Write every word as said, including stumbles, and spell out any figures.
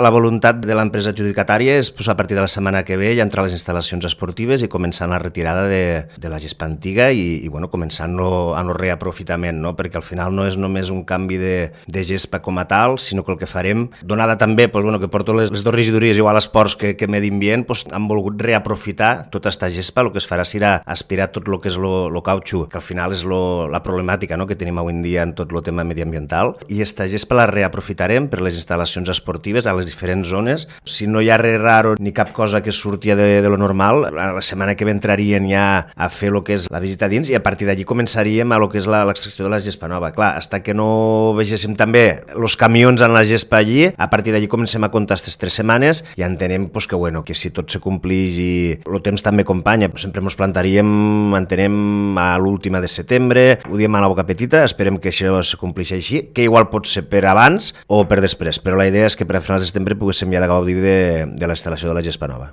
La voluntat de l'empresa adjudicatària és pues, a partir de la setmana que ve ja entrar a les instal·lacions esportives i començant la retirada de, de la gespa antiga i, i bueno, començant no, a no reaprofitament, no? Perquè al final no és només un canvi de, de gespa com a tal, sinó que el que farem, donada també pues, bueno, que porto les, les dues regidories igual a esports que, que medi ambient, pues, han volgut reaprofitar tota aquesta gespa. El que es farà serà aspirar tot el que és el cautxú, que al final és lo, la problemàtica, no?, que tenim avui en dia en tot el tema mediambiental, i aquesta gespa la reaprofitarem per les instal·lacions esportives a les diferents zones. Si no hi ha res raro ni cap cosa que surti de, de lo normal, la setmana que ve entrarien ja a fer el que és la visita dins i a partir d'allí començaríem a lo que és l'extracció de la gespa nova. Clar, hasta que no vegéssim també els camions en la gespa allí, a partir d'allí comencem a comptar aquestes tres setmanes i entenem pues, que, bueno, que si tot se complix i el temps també acompanya, sempre ens plantaríem, entenem, a l'última de setembre, ho diem a la boca petita, esperem que això se complixi així, que igual pot ser per abans o per després, però la idea és que per a finals de setembre poguéssim ja de gaudir de, de la instal·lació de la gespa nova.